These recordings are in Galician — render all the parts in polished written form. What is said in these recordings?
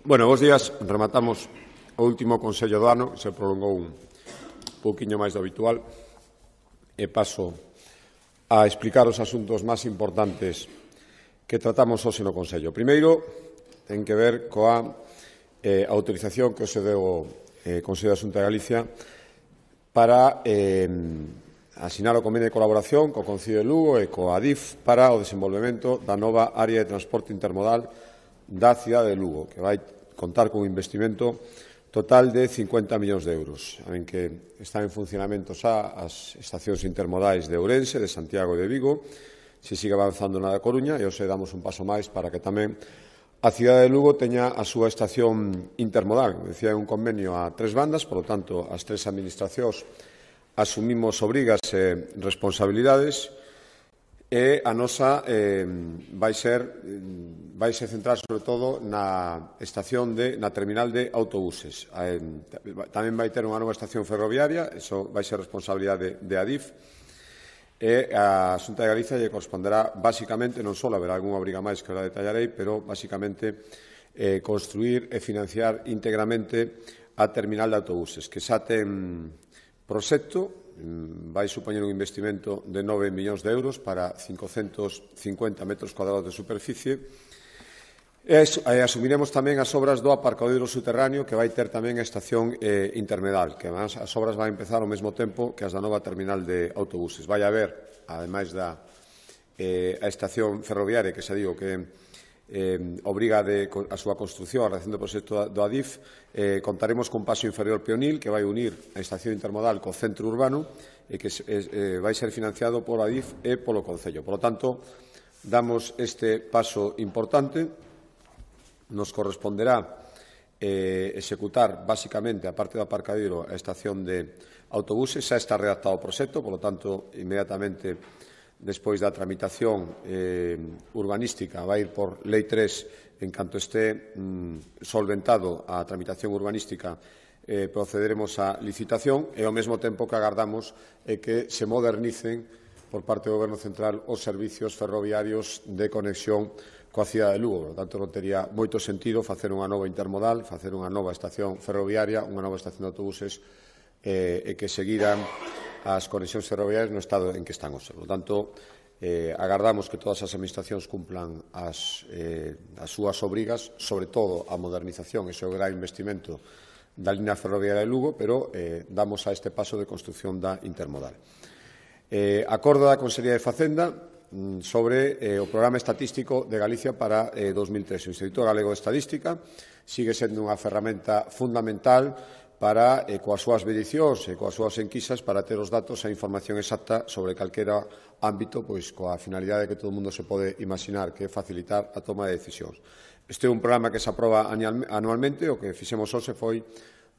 Bueno, bos días. Rematamos o último Consello do ano, que se prolongou un pouquiño máis do habitual, e paso a explicar os asuntos máis importantes que tratamos hoxe no Consello. Primeiro, ten que ver coa autorización que se deu o Consello da Xunta de Galicia para asinar o convenio de colaboración co Concello de Lugo e coa ADIF para o desenvolvemento da nova área de transporte intermodal da cidade de Lugo, que vai contar con un investimento total de 50 millóns de euros, en que están en funcionamento xa as estacións intermodais de Ourense, de Santiago e de Vigo, se sigue avanzando na da Coruña, e hoxe damos un paso máis para que tamén a cidade de Lugo teña a súa estación intermodal. Decía, un convenio a tres bandas, por lo tanto, as tres administracións asumimos obrigas e responsabilidades, e a nosa vai se centrar sobre todo na estación na terminal de autobuses. Tamén vai ter unha nova estación ferroviaria, iso vai ser responsabilidade de ADIF, e a Xunta de Galicia lle corresponderá basicamente, non só haberá algunha obriga máis que ora detallarei, pero basicamente construir e financiar íntegramente a terminal de autobuses, que xa ten proxecto. Vai supoñer un investimento de 9 millóns de euros para 550 metros cuadrados de superficie. E asumiremos tamén as obras do aparcadoiro subterráneo, que vai ter tamén a estación intermodal, que además as obras van empezar ao mesmo tempo que as da nova terminal de autobuses. Vai haber, ademais da estación ferroviaria, que xa digo que obriga a súa construción, a realización do proxecto do ADIF, contaremos con paso inferior peonil que vai unir a estación intermodal co centro urbano e que vai ser financiado por ADIF e polo Concello. Por lo tanto, damos este paso importante. Nos corresponderá executar, basicamente, a parte do aparcadoiro, a estación de autobuses. Xa está redactado o proxecto, por lo tanto, inmediatamente despois da tramitación urbanística, vai ir por Lei 3, en canto este solventado a tramitación urbanística, procederemos á licitación, e ao mesmo tempo que agardamos que se modernicen por parte do Goberno Central os servicios ferroviarios de conexión coa cidade de Lugo. Por lo tanto, non tería moito sentido facer unha nova intermodal, facer unha nova estación ferroviaria, unha nova estación de autobuses, e que seguiran as conexións ferroviarias no estado en que están hoxe. Por lo tanto, agardamos que todas as administracións cumplan as súas obrigas, sobre todo a modernización e o gran investimento da línea ferroviaria de Lugo, pero damos a este paso de construción da intermodal. Acordo da Consellería de Facenda sobre o Programa Estatístico de Galicia para 2013. O Instituto Galego de Estadística sigue sendo unha ferramenta fundamental para, coas súas medicións e coas súas enquisas, para ter os datos e a información exacta sobre calquera ámbito, pois coa finalidade que todo o mundo se pode imaginar, que é facilitar a toma de decisións. Este é un programa que se aproba anualmente. O que fixemos hoxe foi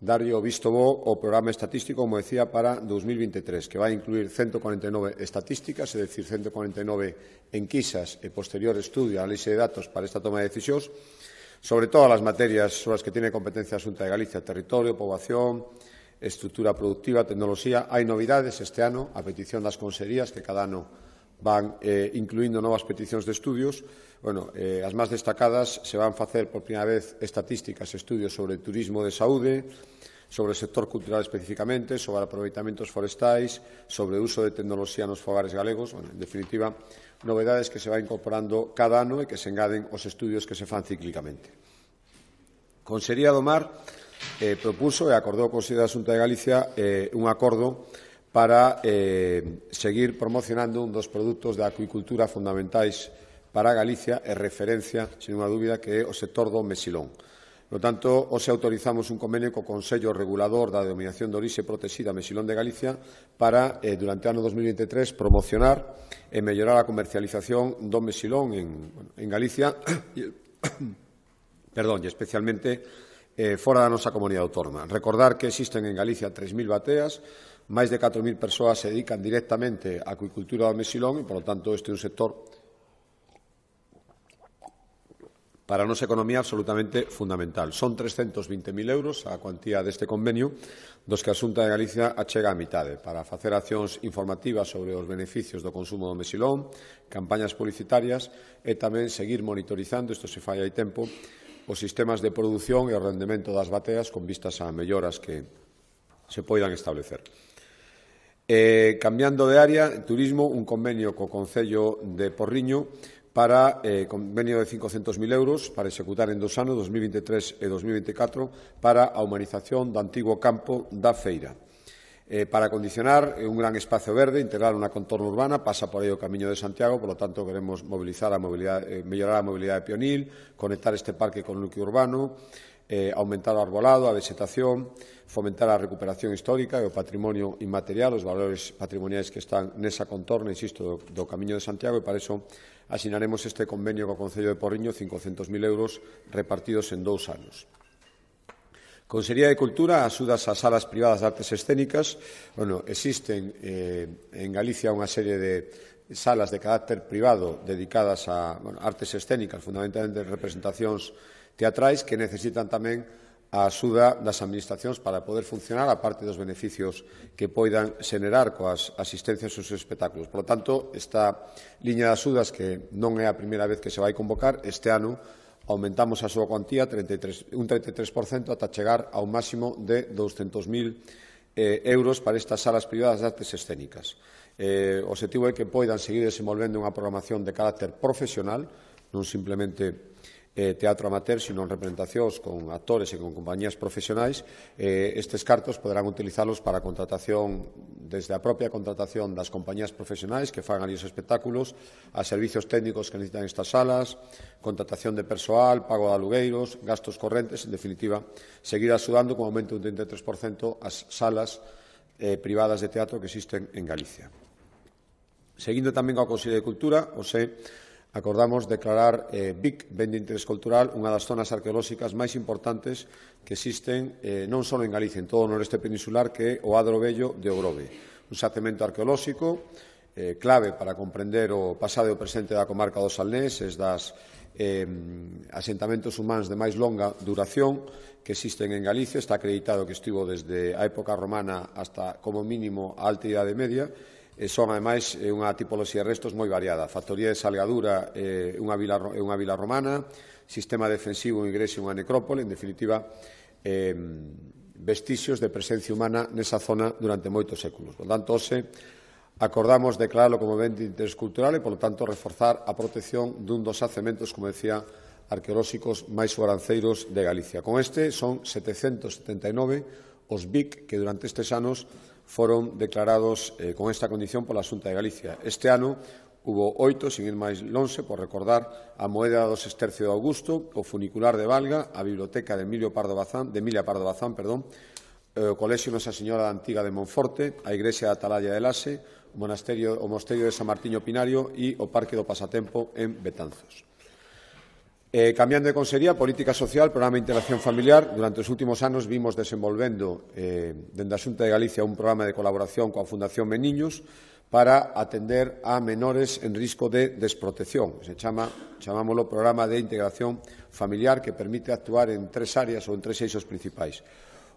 darlle o visto bo ao programa estatístico, como decía, para 2023, que vai incluir 149 estatísticas, é dicir, 149 enquisas e posterior estudio a análise de datos para esta toma de decisións, sobre todas as materias sobre as que tiene competencia a Xunta de Galicia: territorio, poboación, estructura productiva, tecnoloxía. Hai novidades este ano, a petición das consellerías, que cada ano van incluindo novas peticións de estudios. As máis destacadas se van facer por primeira vez estatísticas e estudios sobre turismo de saúde, sobre o sector cultural especificamente, sobre aproveitamentos forestais, sobre o uso de tecnoloxía nos fogares galegos. En definitiva, novedades que se van incorporando cada ano e que se engaden aos estudios que se fan cíclicamente. Consellería do Mar propuso e acordou o Consello da Xunta de Galicia un acordo para seguir promocionando un dos produtos da acuicultura fundamentais para Galicia e referencia, sin unha dúbida, que é o sector do mesilón. Por tanto, hoxe autorizamos un convenio co Consello Regulador da Denominación de Orixe Protexida Mesilón de Galicia para, durante o ano 2023, promocionar e mellorar a comercialización do mesilón en Galicia e especialmente fora da nosa comunidade autónoma. Recordar que existen en Galicia 3.000 bateas, máis de 4.000 persoas se dedican directamente á acuicultura do mesilón, e, por lo tanto, este é un sector para a nosa economía absolutamente fundamental. Son 320.000 euros a cuantía deste convenio, dos que a Xunta de Galicia achega a mitade, para facer accións informativas sobre os beneficios do consumo do mesilón, campañas publicitarias e tamén seguir monitorizando, isto se fai hai tempo, os sistemas de produción e o rendemento das bateas con vistas a melloras que se poidan establecer. Cambiando de área, turismo, un convenio co Concello de Porriño para convenio de 500.000 euros para executar en 2 anos, 2023 e 2024, para a humanización do antigo campo da Feira. Para acondicionar un gran espacio verde, integrar unha contorno urbana, pasa por aí o Camiño de Santiago, por lo tanto, queremos mellorar a mobilidade peonil, conectar este parque con o núcleo urbano, aumentar o arbolado, a vegetación, fomentar a recuperación histórica e o patrimonio inmaterial, os valores patrimoniais que están nesa contorna, insisto, do Camiño de Santiago, e para iso asinaremos este convenio co Concello de Porriño, 500.000 euros repartidos en 2 anos. Consellería de Cultura, axudas ás salas privadas de artes escénicas. Existen en Galicia unha serie de salas de carácter privado dedicadas a artes escénicas, fundamentalmente representacións teatrais, que necesitan tamén a axuda das administracións para poder funcionar, a parte dos beneficios que poidan xenerar coas asistencias aos seus espectáculos. Por lo tanto, esta liña de axudas, que non é a primeira vez que se vai convocar, este ano aumentamos a súa cuantía un 33% ata chegar a un máximo de 200.000 euros para estas salas privadas de artes escénicas. O objetivo é que poidan seguir desenvolvendo unha programación de carácter profesional, non simplemente teatro amateur, sino en representacións con actores e con compañías profesionais. Estes cartos poderán utilizalos para a contratación, desde a propia contratación das compañías profesionais que fagan ali os espectáculos, a servicios técnicos que necesitan estas salas, contratación de persoal, pago de alugueiros, gastos correntes, en definitiva, seguir axudando con aumento de un 33% as salas privadas de teatro que existen en Galicia. Seguindo tamén coa Consellería de Cultura, acordamos declarar Vic, ben de interés cultural, unha das zonas arqueolóxicas máis importantes que existen non só en Galicia, en todo o noreste peninsular, que é o Adro Vello de Ogrove. Un xacemento arqueolóxico clave para comprender o pasado e o presente da comarca do Salnés, es das asentamentos humanos de máis longa duración que existen en Galicia. Está acreditado que estivo desde a época romana hasta, como mínimo, a Alta Idade Media. Son, ademais, unha tipoloxía de restos moi variada. Factoría de Salgadura, unha vila romana, sistema defensivo, unha igrexa e unha necrópole, en definitiva, vestixios de presencia humana nesa zona durante moitos séculos. Por tanto, acordamos declararlo como ben de interés cultural e, polo tanto, reforzar a protección dun dos xacementos, como decía, arqueolóxicos máis sobranceiros de Galicia. Con este son 779 os BIC que durante estes anos foron declarados con esta condición pola Xunta de Galicia. Este ano hubo 8, sin ir máis lonxe, por recordar a Moeda do Sestercio de Augusto, o Funicular de Valga, a Biblioteca de Emilia Pardo Bazán, o Colexio Nosa Señora da Antiga de Monforte, a Igrexa de Atalaya de Lase, o Mosteiro de San Martiño Pinario e o Parque do Pasatempo en Betanzos. Cambiando de consellería, política social, programa de integración familiar. Durante os últimos anos vimos desenvolvendo dende a Xunta de Galicia un programa de colaboración coa Fundación Meniños para atender a menores en risco de desprotección. Chamámoslo Programa de Integración Familiar, que permite actuar en 3 áreas ou en 3 eixos principais.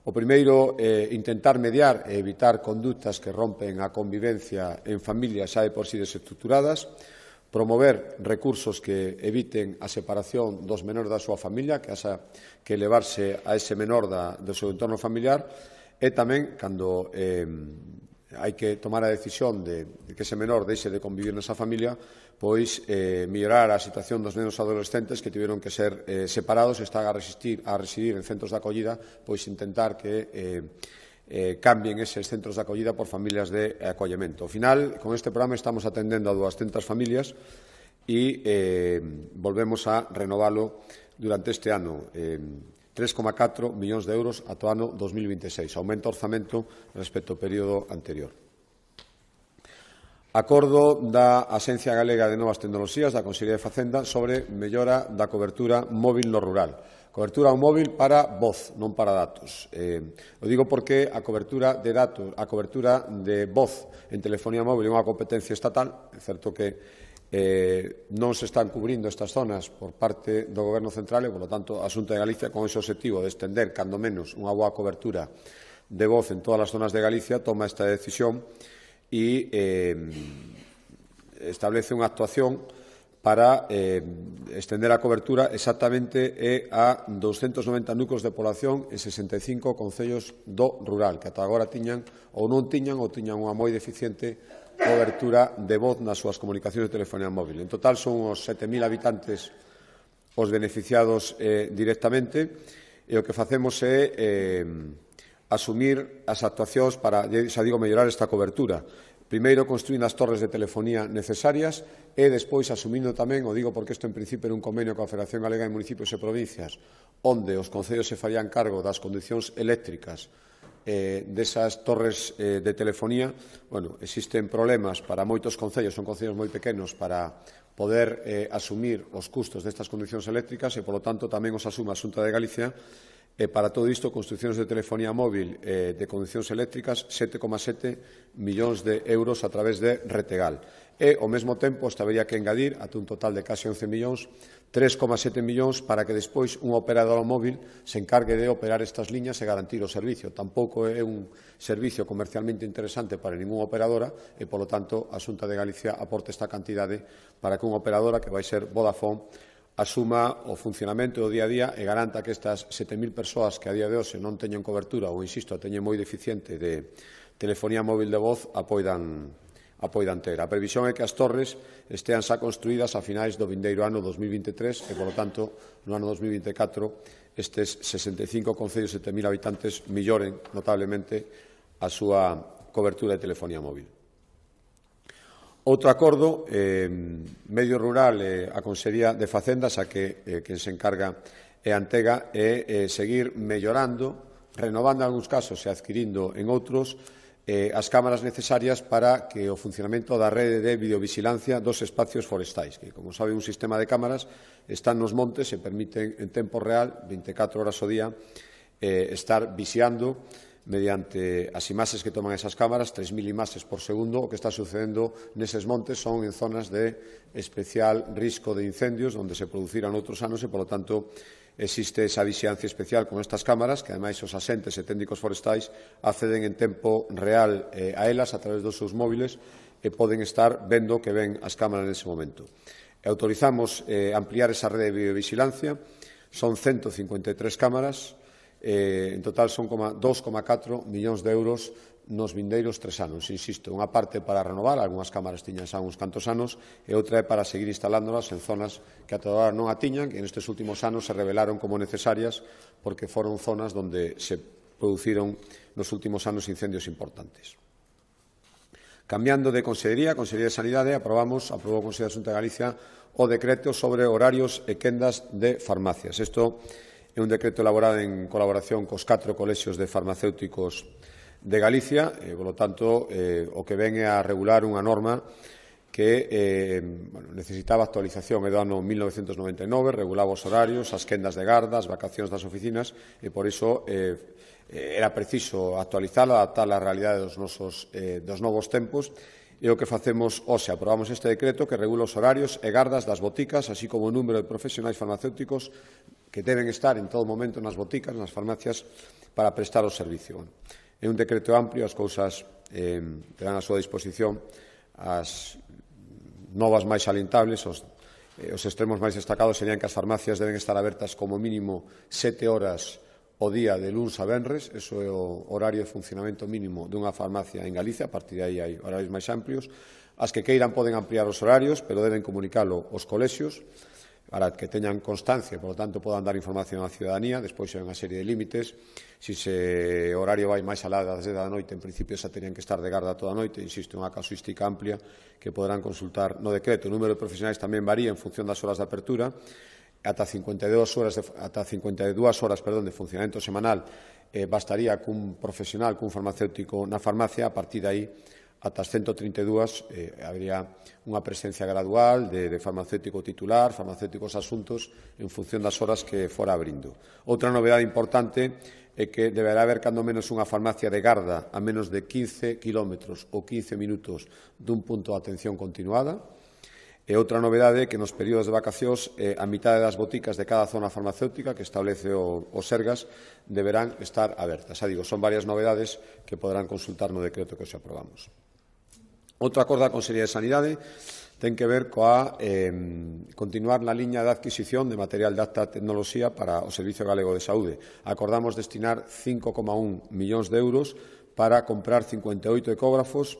O primeiro, intentar mediar e evitar conductas que rompen a convivencia en familias xa de por sí desestructuradas, promover recursos que eviten a separación dos menores da súa familia, que haxa que elevarse a ese menor do seu entorno familiar, e tamén, cando hai que tomar a decisión de que ese menor deixe de convivir nesa familia, pois mellorar a situación dos nenos adolescentes que tiveron que ser separados e están a residir en centros de acollida, pois intentar que cambien eses centros de acollida por familias de acollemento. Ao final, con este programa estamos atendendo a 200 familias e volvemos a renovalo durante este ano. 3,4 millóns de euros ata o ano 2026. Aumenta o orzamento respecto ao período anterior. Acordo da Axencia Galega de Novas Tecnoloxías da Consellería de Facenda sobre mellora da cobertura móvil no rural. Cobertura ao móvil para voz, non para datos. O digo porque a cobertura de datos, a cobertura de voz en telefonía móvil é unha competencia estatal. É certo que non se están cubrindo estas zonas por parte do Goberno central e, por lo tanto, a Xunta de Galicia, con ese objetivo de estender, cando menos, unha boa cobertura de voz en todas as zonas de Galicia, toma esta decisión e establece unha actuación para estender a cobertura exactamente a 290 núcleos de población en 65 concellos do rural, que ata agora tiñan ou non tiñan ou tiñan unha moi deficiente cobertura de voz nas súas comunicacións de telefonía móvil. En total son os 7.000 habitantes os beneficiados directamente, e o que facemos é asumir as actuacións para, xa digo, mellorar esta cobertura. Primeiro, construíndo as torres de telefonía necesarias e, despois, asumindo tamén, o digo porque isto en principio era un convenio coa Federación Galega de Municipios e Provincias, onde os concellos se farían cargo das condicións eléctricas desas torres de telefonía. Bueno, existen problemas para moitos concellos, son concellos moi pequenos, para poder asumir os custos destas condicións eléctricas e, polo tanto, tamén os asume a Xunta de Galicia. Para todo isto, construcións de telefonía móvil de condicións eléctricas, 7,7 millóns de euros a través de Retegal. E, ao mesmo tempo, habería que engadir, ata un total de case 11 millóns, 3,7 millóns para que despois un operador móvil se encargue de operar estas liñas e garantir o servicio. Tampouco é un servicio comercialmente interesante para ningunha operadora e, polo tanto, a Xunta de Galicia aporta esta cantidade para que unha operadora, que vai ser Vodafone, asuma o funcionamento do día a día e garanta que estas 7.000 persoas que a día de hoxe non teñen cobertura ou, insisto, teñen moi deficiente de telefonía móvil de voz apoidan ter. A previsión é que as torres estean xa construídas a finais do vindeiro ano 2023 e, polo tanto, no ano 2024 estes 65 concellos e 7.000 habitantes melloren notablemente a súa cobertura de telefonía móvil. Outro acordo, Medio Rural e a Consellería de Facendas, a que quen se encarga é Antega, é seguir mellorando, renovando en algúns casos e adquirindo en outros, as cámaras necesarias para que o funcionamento da rede de videovigilancia dos espacios forestais, que, como sabe, un sistema de cámaras están nos montes e permiten en tempo real, 24 horas ao día, estar vixiando mediante as imaxes que toman esas cámaras, 3.000 imaxes por segundo. O que está sucedendo neses montes son en zonas de especial risco de incendios, onde se produciran outros anos e, polo tanto, existe esa vixiancia especial con estas cámaras, que, ademais, os asentes e técnicos forestais acceden en tempo real a elas a través dos seus móviles e poden estar vendo que ven as cámaras nese momento. E autorizamos ampliar esa rede de videovigilancia. Son 153 cámaras. En total son 2,4 millóns de euros nos vindeiros 3 anos. Insisto, unha parte para renovar, algunhas cámaras tiñan xa uns cantos anos, e outra é para seguir instalándolas en zonas que ata agora non a tiñan, que nestes últimos anos se revelaron como necesarias porque foron zonas onde se produciron nos últimos anos incendios importantes. Cambiando de Consellería, a Consellería de Sanidade, aprobou o Consello da Xunta de Galicia o decreto sobre horarios e quendas de farmacias. Isto é un decreto elaborado en colaboración cos 4 colexios de farmacéuticos de Galicia, e, polo tanto, o que ven é a regular unha norma que necesitaba actualización do ano 1999, regulaba os horarios, as quendas de garda, as vacacións das oficinas, e por iso era preciso actualizala, adaptala á realidade dos novos tempos. E o que facemos hoxe, aprobamos este decreto que regula os horarios e gardas das boticas, así como o número de profesionais farmacéuticos que deben estar en todo momento nas boticas, nas farmacias, para prestar o servicio. É un decreto amplio, as cousas terán a súa disposición as novas máis salientables, os extremos máis destacados serían que as farmacias deben estar abertas como mínimo 7 horas o día de luns a venres, eso é o horario de funcionamento mínimo dunha farmacia en Galicia, a partir de aí hai horarios máis amplios. As que queiran poden ampliar os horarios, pero deben comunicalo aos colexios para que teñan constancia e, polo tanto, podan dar información á ciudadanía. Despois hai unha serie de límites. Se o horario vai máis alá das 10 da noite, en principio xa terían que estar de garda toda a noite. Insisto, unha casuística amplia que poderán consultar no decreto. O número de profesionais tamén varía en función das horas de apertura. Ata 52 horas de funcionamento semanal bastaría cun profesional, cun farmacéutico na farmacia. A partir de aí, ata as 132, habería unha presencia gradual de farmacéutico titular, farmacéuticos asuntos, en función das horas que fora abrindo. Outra novedade importante é que deberá haber cando menos unha farmacia de garda a menos de 15 kilómetros ou 15 minutos dun punto de atención continuada. E outra novedade é que nos períodos de vacacións a mitade das boticas de cada zona farmacéutica que establece o Sergas deberán estar abertas. Xa digo, son varias novedades que poderán consultar no decreto que hoxe aprobamos. Outro acordo da Consellería de Sanidade ten que ver coa continuar na liña de adquisición de material de alta tecnoloxía para o Servicio Galego de Saúde. Acordamos destinar 5,1 millóns de euros para comprar 58 ecógrafos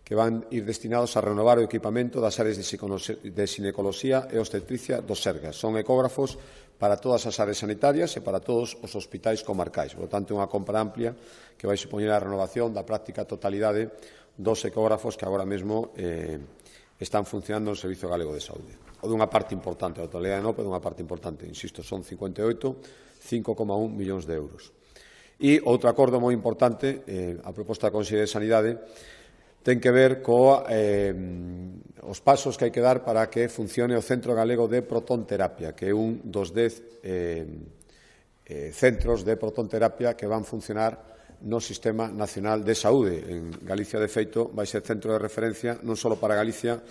que van ir destinados a renovar o equipamento das áreas de xinecoloxía e obstetricia do Sergas. Son ecógrafos para todas as áreas sanitarias e para todos os hospitais comarcais. Por lo tanto, é unha compra amplia que vai supoñer a renovación da práctica totalidade dos ecógrafos que agora mesmo están funcionando no Servicio Galego de Saúde. O dunha parte importante, a totalidade non, pero dunha parte importante, insisto, son 58, 5,1 millóns de euros. E outro acordo moi importante, a proposta da Consellería de Sanidade, ten que ver os pasos que hai que dar para que funcione o Centro Galego de Protonterapia, que é un dos 10 centros de protonterapia que van funcionar no Sistema Nacional de Saúde. En Galicia, de feito, vai ser centro de referencia non só para Galicia,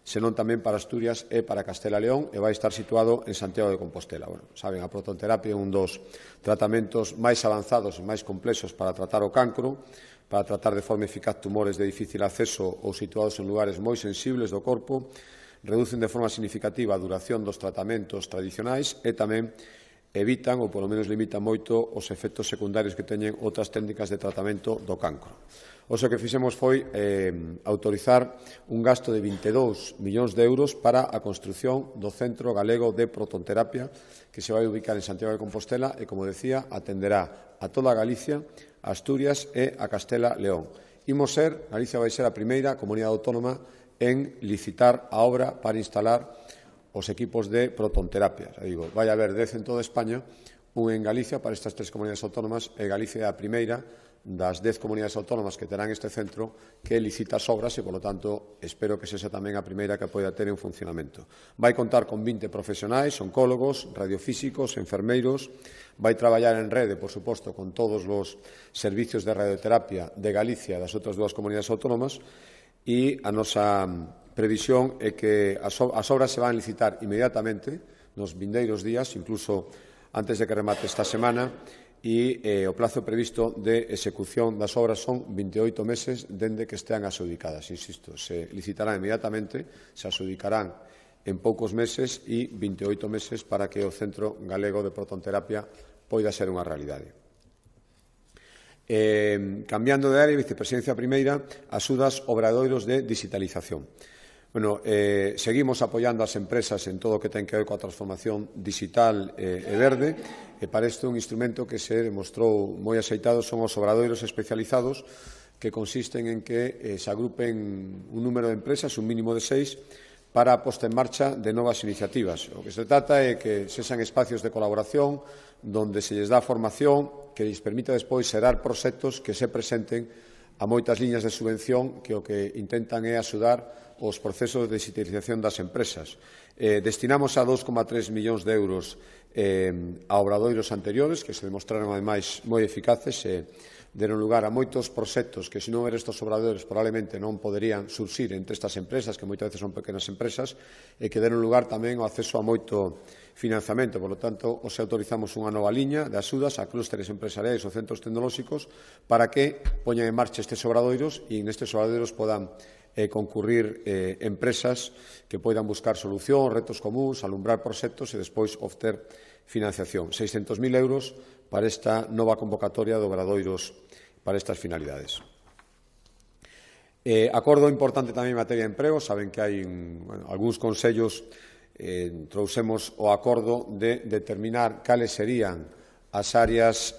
senón tamén para Asturias e para Castela e León, e vai estar situado en Santiago de Compostela. Bueno, saben, a protonterapia é un dos tratamentos máis avanzados e máis complexos para tratar o cancro, para tratar de forma eficaz tumores de difícil acceso ou situados en lugares moi sensibles do corpo, reducen de forma significativa a duración dos tratamentos tradicionais e tamén evitan, ou polo menos limitan moito, os efectos secundarios que teñen outras técnicas de tratamento do cancro. O que fixemos foi autorizar un gasto de 22 millóns de euros para a construción do Centro Galego de Protonterapia, que se vai ubicar en Santiago de Compostela e, como decía, atenderá a toda Galicia, a Asturias e a Castela e León. Galicia vai ser a primeira comunidade autónoma en licitar a obra para instalar os equipos de protonterapia. Vai haber 10 en toda España, un en Galicia para estas 3 comunidades autónomas, e Galicia é a primeira das 10 comunidades autónomas que terán este centro que licita as obras e, polo tanto, espero que sexa tamén a primeira que poida ter en funcionamento. Vai contar con 20 profesionais, oncólogos, radiofísicos, enfermeiros, vai traballar en rede, por suposto, con todos os servicios de radioterapia de Galicia e das outras 2 comunidades autónomas, e a nosa previsión é que as obras se van a licitar inmediatamente nos vindeiros días, incluso antes de que remate esta semana, e o plazo previsto de execución das obras son 28 meses dende que estean adxudicadas. Insisto, se licitarán inmediatamente, se adxudicarán en poucos meses e 28 meses para que o Centro Galego de Protonterapia poida ser unha realidade. Cambiando de área, Vicepresidencia Primeira, axudas obradoiros de digitalización. Bueno, seguimos apoiando as empresas en todo o que ten que ver coa transformación digital e verde, e para isto un instrumento que se demostrou moi axeitado son os obradoiros especializados, que consisten en que se agrupen un número de empresas, un mínimo de 6, para a posta en marcha de novas iniciativas. O que se trata é que sexan espacios de colaboración donde se lles dá formación que lles permita despois xerar proxectos que se presenten a moitas liñas de subvención que o que intentan é axudar os procesos de digitalización das empresas. Destinamos a 2,3 millóns de euros a obradoiros anteriores, que se demostraron, ademais, moi eficaces e deron lugar a moitos proxectos que, se non eran estes obradoiros, probablemente non poderían surxir entre estas empresas, que moitas veces son pequenas empresas, e que deron lugar tamén ao acceso a moito financiamento. Por lo tanto, os autorizamos unha nova liña de axudas a clústeres empresariais ou centros tecnolóxicos para que poñan en marcha estes obradoiros e nestes obradoiros podan concurrir empresas que poidan buscar solucións, retos comuns, alumbrar proxectos e despois obter financiación. 600.000 euros para esta nova convocatoria de obradoiros para estas finalidades. Acordo importante tamén en materia de emprego. Saben que hai algúns consellos trouxemos o acordo de determinar cales serían as áreas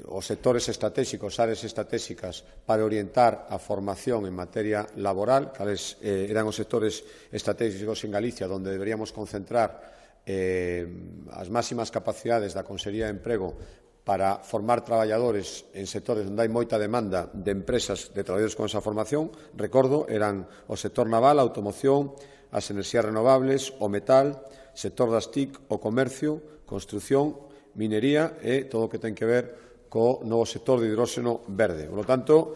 os sectores estratégicos, áreas estratégicas para orientar a formación en materia laboral, cales eran os sectores estratégicos en Galicia onde deberíamos concentrar as máximas capacidades da Consellería de Emprego para formar traballadores en sectores onde hai moita demanda de empresas de traballadores con esa formación. Recordo, eran o sector naval, a automoción, as enerxías renovables, o metal, sector das TIC, o comercio, construción, minería e todo o que ten que ver co novo sector de hidróxeno verde. Por lo tanto,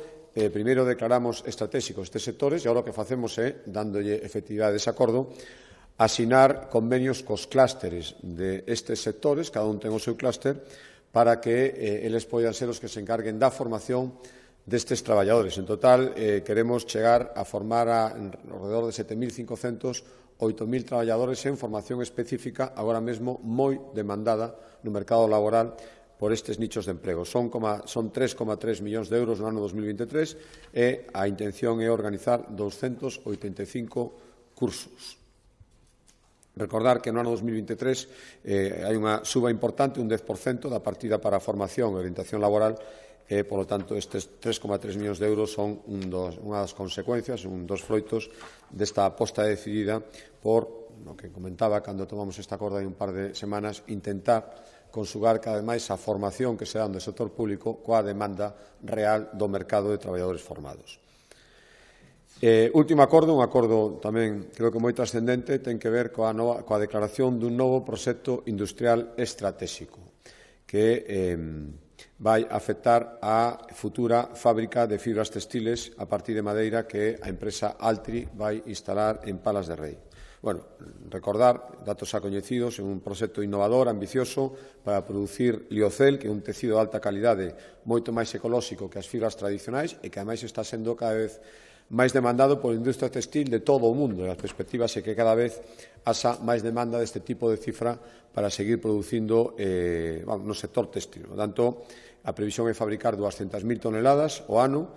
primeiro declaramos estratégicos estes sectores e agora o que facemos é, dándolle efectividade a ese acordo, asinar convenios cos clústeres de estes sectores, cada un ten o seu clúster, para que eles poidan ser os que se encarguen da formación destes traballadores. En total, queremos chegar a formar alrededor de 7.500, 8.000 traballadores en formación específica, agora mesmo moi demandada no mercado laboral por estes nichos de emprego. Son 3,3 millóns de euros no ano 2023 e a intención é organizar 285 cursos. Recordar que no ano 2023 hai unha suba importante, un 10% da partida para a formación e orientación laboral e, polo tanto, estes 3,3 millóns de euros son unha das consecuencias, un dos froitos desta aposta decidida por, no que comentaba cando tomamos esta acordo hai un par de semanas, intentar consugar cada vez máis a formación que se dá no sector público coa demanda real do mercado de traballadores formados. Último acordo, un acordo tamén creo que moi trascendente, ten que ver coa declaración dun novo proxecto industrial estratégico que vai afectar a futura fábrica de fibras textiles a partir de madeira que a empresa Altri vai instalar en Palas de Rei. Bueno, recordar, datos xa coñecidos, é un proxecto innovador, ambicioso, para producir liocel, que é un tecido de alta calidade moito máis ecolóxico que as fibras tradicionais e que, ademais, está sendo cada vez máis demandado pola industria textil de todo o mundo. E a perspectiva é que cada vez haxa máis demanda deste tipo de cifra para seguir producindo no sector textil. Por tanto, a previsión é fabricar 200.000 toneladas ao ano.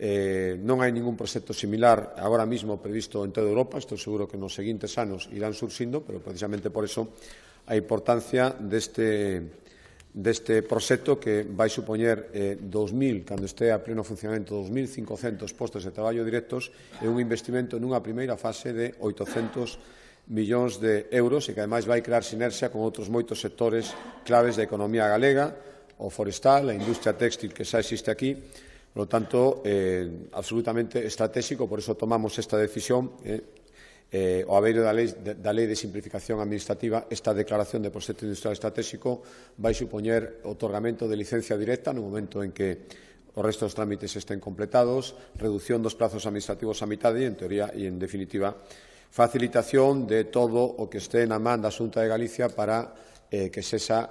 Non hai ningún proxecto similar agora mesmo previsto en toda Europa. Estou seguro que nos seguintes anos irán surxindo, pero precisamente por eso a importancia deste proxecto que vai supoñer 2.000, cando este a pleno funcionamento, 2.500 postos de traballo directos e un investimento nunha primeira fase de 800 millóns de euros e que, ademais, vai crear sinerxia con outros moitos sectores claves da economía galega, o forestal, a industria téxtil que xa existe aquí. Por lo tanto, absolutamente estratégico, por eso tomamos esta decisión. O abeiro da Lei de Simplificación Administrativa, esta declaración de proxecto industrial estratégico vai supoñer otorgamento de licencia directa no momento en que os restos dos trámites estén completados, reducción dos prazos administrativos a mitade e, en teoría e en definitiva, facilitación de todo o que este na man da Xunta de Galicia para que sexa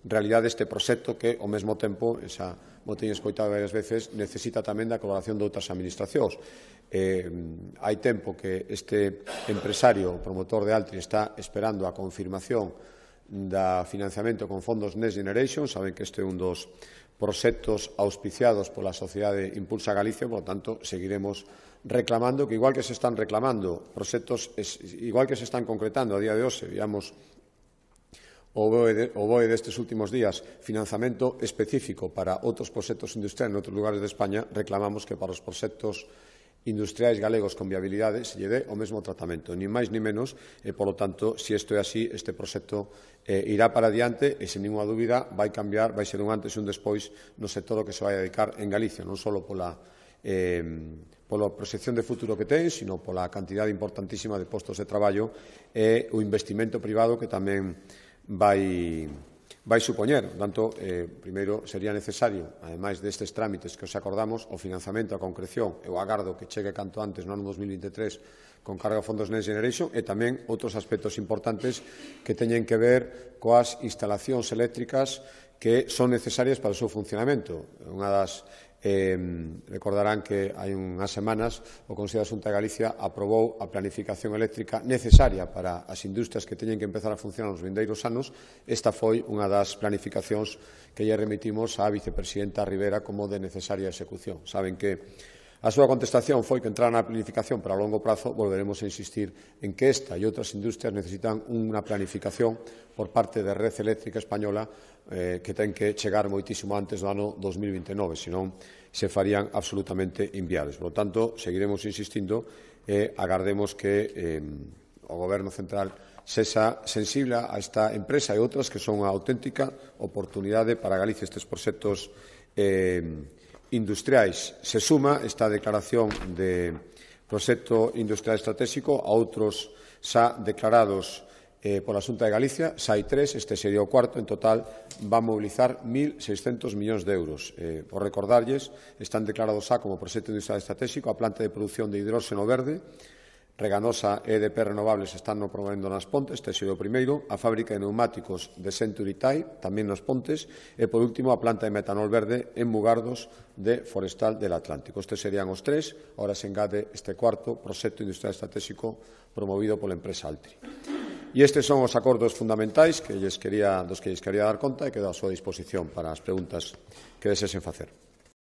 realidade este proxecto que, ao mesmo tempo, esa como teño escoitado varias veces, necesita tamén da colaboración de outras administracións. Hai tempo que este empresario, o promotor de Altri, está esperando a confirmación da financiamento con fondos Next Generation. Saben que este é un dos proxectos auspiciados pola Sociedade Impulsa Galicia, por lo tanto, seguiremos reclamando que, igual que se están reclamando proxectos, igual que se están concretando a día de hoxe, digamos, o BOE destes últimos días, financiamento específico para outros proxectos industriais en outros lugares de España, reclamamos que para os proxectos industriais galegos con viabilidade se lle dé o mesmo tratamento, ni máis ni menos, e, polo tanto, se isto é así, este proxecto irá para adiante e, sen ninguna dúbida, vai cambiar, vai ser un antes e un despois no sector ao que se vai dedicar en Galicia, non só pola proxección de futuro que ten, sino pola cantidade importantísima de postos de traballo e o investimento privado que tamén vai supoñer. Por tanto, primeiro sería necesario, ademais destes trámites que os acordamos, o financiamento, a concreción e o agardo que chegue canto antes no ano 2023 con carga a fondos Next Generation e tamén outros aspectos importantes que teñen que ver coas instalacións eléctricas que son necesarias para o seu funcionamento. Unha das recordarán que hai unhas semanas o Consello da Xunta de Galicia aprobou a planificación eléctrica necesaria para as industrias que teñen que empezar a funcionar nos vindeiros anos. Esta foi unha das planificacións que lle remitimos á vicepresidenta Rivera como de necesaria execución. Saben que a súa contestación foi que entrar na planificación, pero a longo prazo volveremos a insistir en que esta e outras industrias necesitan unha planificación por parte da Red Eléctrica Española que ten que chegar moitísimo antes do ano 2029, senón se farían absolutamente inviables. Por lo tanto, seguiremos insistindo e agardemos que o Goberno Central sexa sensible a esta empresa e outras que son unha auténtica oportunidade para Galicia. Estes proxectos industriais se suma esta declaración de proxecto industrial estratégico a outros xa declarados pola Xunta de Galicia. Xa hai 3, este sería o cuarto. En total va a mobilizar 1.600 millóns de euros. Por recordarlles, están declarados xa como proxecto industrial estratégico a planta de produción de hidróxeno verde Reganosa e EDP Renovables están promovendo nas Pontes, este é o primeiro, a fábrica de neumáticos de Century Tire, tamén nos Pontes, e, por último, a planta de metanol verde en Mugardos de Forestal del Atlántico. Estes serían os tres, ahora se engade este cuarto proxecto industrial estratégico promovido pola empresa Altri. E estes son os acordos fundamentais dos que lles quería dar conta e quedo á súa disposición para as preguntas que desexen facer.